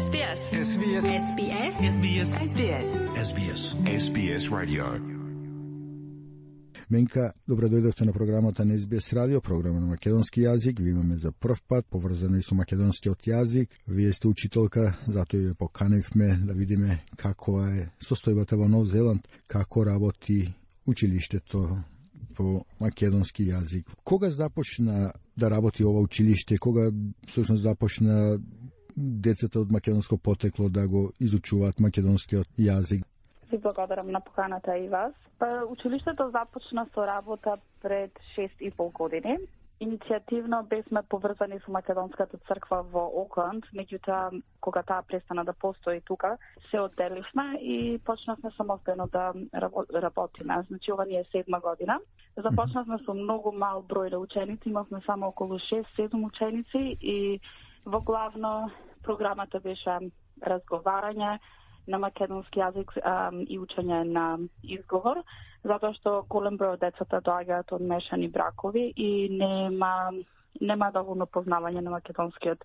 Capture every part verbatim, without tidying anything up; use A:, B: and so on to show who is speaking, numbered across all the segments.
A: S B S.
B: S B S.
A: S B S.
B: S B S.
A: S B S.
B: S B S. S B S Radio.
C: Менка, добро дојдовте на програмата на С Б С Радио, програма на македонски јазик. Ви имаме за прв пат, поврзана и со македонскиот јазик. Вие сте учителка, затоа ја поканивме да видиме како е состојбата во Нов Зеланд, како работи училиштето по македонски јазик. Кога започна да работи ова училиште? Кога всушност започна децата од македонско потекло да го изучуваат македонскиот јазик?
D: Ви благодарам на поканата и вас. Па, училиштето започна со работа пред шест и пол години. Иницијативно бевме поврзани со Македонската црква во Окланд, меѓутоа кога таа престана да постои тука, се одделивме и почнавме самостојно да работиме. Значи ова ни е седма година. Започнавме со многу мал број на ученици, имавме само околу шест-седум ученици и во главно програмата беше разговарање на македонски јазик а, и учење на изговор, затоа што голем број од децата доаѓаат од мешани бракови и нема нема доволно познавање на македонскиот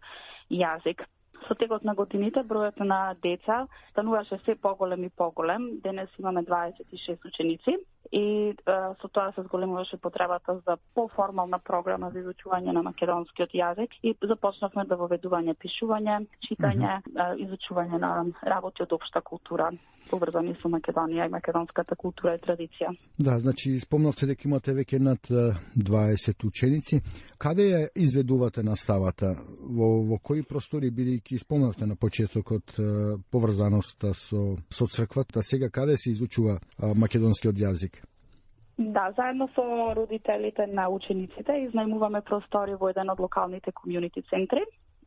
D: јазик. Со текот на годините бројот на деца стануваше се поголем и поголем. Денес имаме дваесет и шест ученици и а, со тоа се зголемуваше потребата за поформална програма за изучување на македонскиот јазик и започнавме да воведување пишување, читање, mm-hmm. изучување на работи од општа култура, поврзани со Македонија и македонската култура и традиција.
C: Да, значи спомнавте дека имате веќе над дваесет ученици. Каде ја изведувате наставата? Во, во кои простори, бидејќи спомнавте на почетокот поврзаноста со со црквата, сега каде се изучува а, македонскиот јазик?
D: Да, заедно со родителите на учениците изнајмуваме простори во еден од локалните комјунити центри.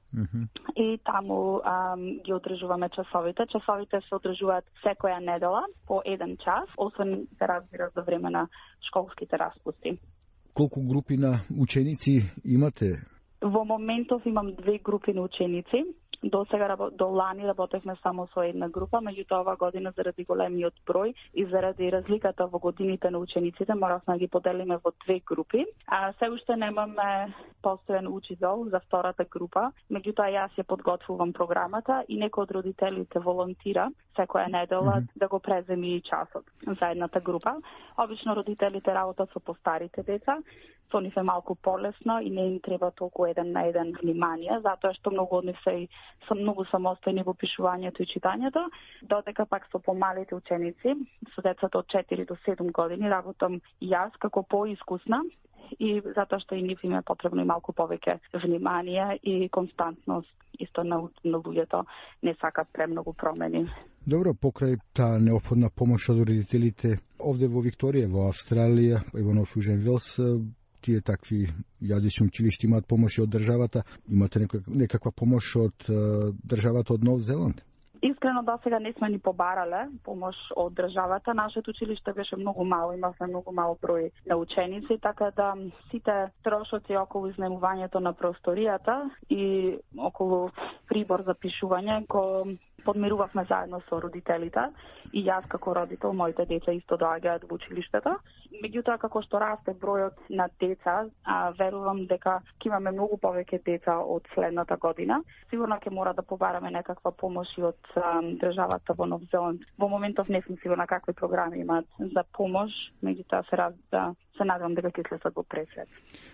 D: Mm-hmm. И таму ам, ги одржуваме часовите. Часовите се одржуваат секоја недела по еден час, освен се разбира за време на школските распусти.
C: Колку групи на ученици имате?
D: Во моментов имам две групи на ученици. До сега, до лани работевме само со една група, меѓутоа ова година заради големиот број и заради разликата во годините на учениците моравме да ги поделиме во две групи. А се уште немаме постојан учител за втората група, меѓутоа јас ја подготвувам програмата и некој од родителите волонтира секоја недела mm-hmm. да го преземи часот за едната група. Обично родителите работат со постарите деца, со нив е малку полесно и не им треба толку еден на еден внимание, затоа што многу од нив се се многу самостојни во пишувањето и читањето, додека пак со помалите ученици, со децата од четири до седум години, работам јас како поискусна и затоа што и нив им е потребно и малку повеќе внимание и константност. Исто на, на луѓето не сакат премногу промени.
C: Добро, покрај таа неопходна помош од родителите, овде во Викторија, во Австралија, и во Нов Јужен Велс, тие такви јазични училишта имаат помош од државата. Имате некаква помош од државата од Нов Зеланд?
D: Искрено до сега не сме ни побарале помош од државата. Нашето училиште беше многу мало, имавме многу мал број на ученици, така да сите трошоци околу изнемувањето на просторијата и околу прибор за пишување го подмирувавме заедно со родителите и јас како родител, моите деца исто доаѓаат во училиштето. Меѓутоа, како што расте бројот на деца, а, верувам дека ќе имаме многу повеќе деца од следната година. Сигурно ќе мора да побараме некаква помош и од а, државата во Нов Зеланд. Во моментов не сум сигурна какви програми имаат за помош, меѓутоа се раз да се надевам дека ќе следат во пресвет.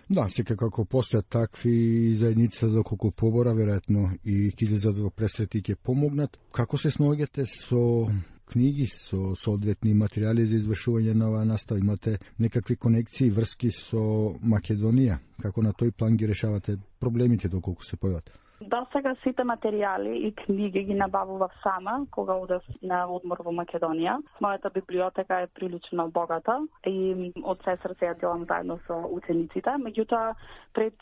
C: Да, сека како постојат такви заедници доколку побора, веројатно и ќе излезат во пресвет и ќе помогнат. Како се сноѓате со книги, со соодветни материјали за извршување на оваа настава? Имате некакви конекции, врски со Македонија? Како на тој план ги решавате проблемите доколку се појават?
D: До сега сите материјали и книги ги набавував сама кога одев на одмор во Македонија. Мојата библиотека е прилично богата и од се срце ја делам заедно со учениците. Меѓутоа, пред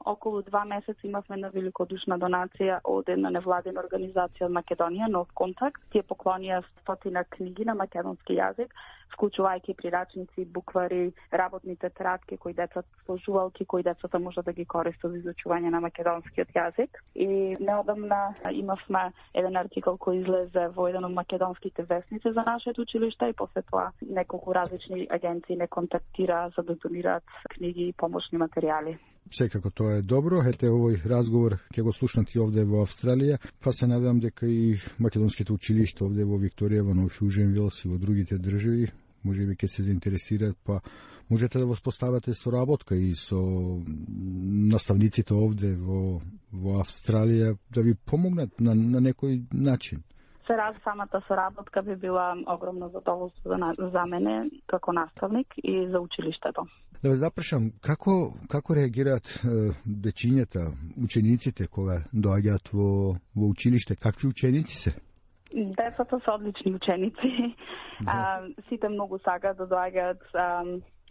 D: околу два месеца имавме на великодушна донација од една невладина организација од Македонија, Нов Контакт. Тие поклонија стотина книги на македонски јазик, вклучувајќи прирачници, буквари, работни тетрадки кои децата сложувалки кои децата можат да ги користат за изучување на македонскиот јазик. И неодамна имавме еден артикол кој излезе во еден од македонските весници за нашето училиште и после тоа неколку различни агенции не контактира за да донираат книги и помошни материјали.
C: Секако тоа е добро. Ете, овој разговор ќе го слушнати овде во Австралија, па се надевам дека и македонските училишта овде во Викторија, во Нов Шуженвилс и во другите држави можеби ќе се заинтересираат, па можете да воспоставате соработка и со наставниците овде во, во Австралија да ви помогнат на, на некој начин.
D: Се раз, самата соработка би била огромно задоволство за мене како наставник и за училиштето.
C: Да ве запрашам, како, како реагираат е, дечињата, учениците кога доаѓаат во, во училиште? Какви ученици се?
D: Децата се одлични ученици. Да. А, сите многу сакаат да доаѓаат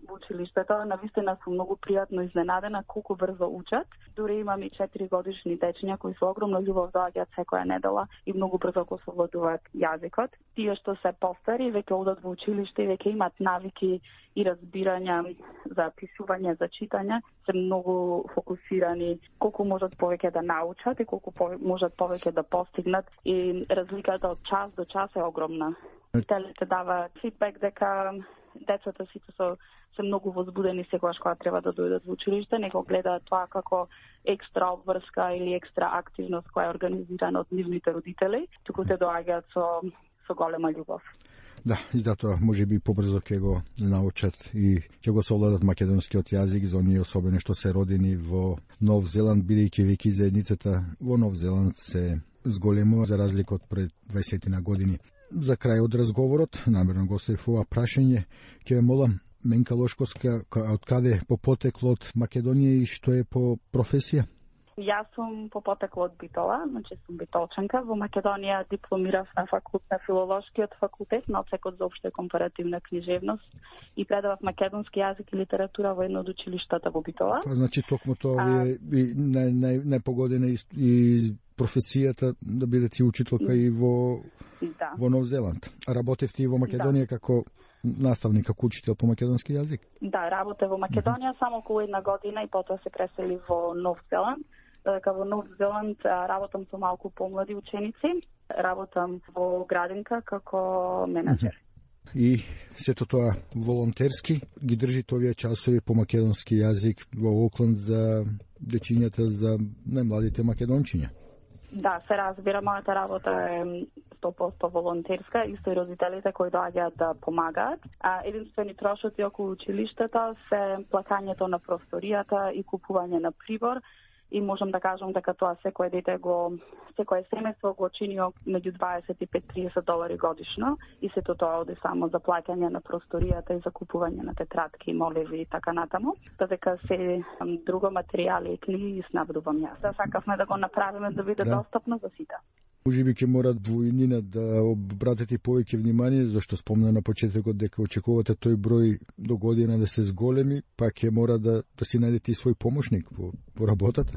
D: во училиштето. Навистина сум многу пријатно изненадена колку брзо учат. Дури имам и четири годишни дечиња кои со огромна љубов доаѓаат секоја недела и многу брзо го совладуваат јазикот. Тие што се постари веќе одат во училиште и веќе имаат навики и разбирања за пишување, за читање, се многу фокусирани колку можат повеќе да научат и колку можат повеќе да постигнат, и разликата од час до час е огромна. Учителите даваат фидбек дека децата сите со се многу возбудени секогаш кога треба да дојдат во училиште, него гледаат тоа како екстра обврска или екстра активност која е организирана од нивните родители, туку те доаѓаат со со голема љубов.
C: Да, и затоа може би побрзо ќе го научат и ќе го совладат македонскиот јазик за оние особено што се родени во Нов Зеланд, бидејќи веќе заедницата во Нов Зеланд се зголемува за разлика од пред дваесет години. За крај од разговорот, намерно го оставив ова прашање, ќе ве молам, Менка Лошковска, од каде по потекло од Македонија и што е по професија?
D: Јас сум по потекло од Битола, значи сум битолчанка. Во Македонија дипломирав на факултет на филолошкиот факултет на одсекот за општа и компаративна книжевност и предавав македонски јазик и литература во едно од училиштата во Битола.
C: Па, значи токму тоа ви е нај, нај, најпогодена и, и професијата да бидете учителка и во, да. во Нов Зеланд. А работевте и во Македонија да. како наставник, како учител по македонски јазик?
D: Да, работев во Македонија mm-hmm. само околу една година и потоа се пресели во Нов Зеланд. Дека во Нов Зеланд работам со малку помлади ученици, работам во градинка како менаџер. Mm-hmm. И сето тоа волонтерски ги држите овие часови по македонски јазик во Окланд за дечињата, за најмладите македончиња? Да, се разбира, мојата работа е сто проценти волонтерска, исто и родителите кои доаѓаат да помагаат. А единствени трошоци околу училиштето се плакањето на просторијата и купување на прибор. И можам да кажам дека тоа секој дете го, секој семејство го чини меѓу дваесет и пет до триесет долари годишно и сето тоа оди само за плаќање на просторијата и за купување на тетрадки, моливи и така натаму. Додека се друго материјали и книги ги снабдувам јас. Да сакавме да го направиме да биде да. достапно за сите.
C: Може би ќе морат војнина да обратите повеќе внимание, зашто спомна на почетокот дека очекувате тој број до година да се зголеми, па ќе мора да, да си најдете и свој помошник во, во работата.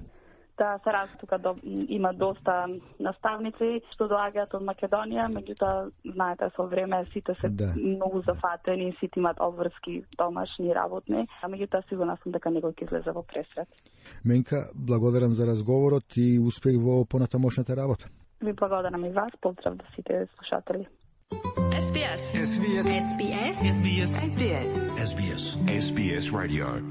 D: Да, се раз тука до, има доста наставници што доаѓаат од Македонија, меѓутоа знаете со време сите се да. многу зафатени, сите имаат обврски домашни работни, а меѓутоа сигурна сум дека некој ќе излезе во пресрет.
C: Менка, благодарам за разговорот и успех во понатамошната работа.
D: Ви благодарам и вас, поздрав до сите слушатели.
B: S B S. S B S. S B S. S B S. S B S. S B S. S B S Radio.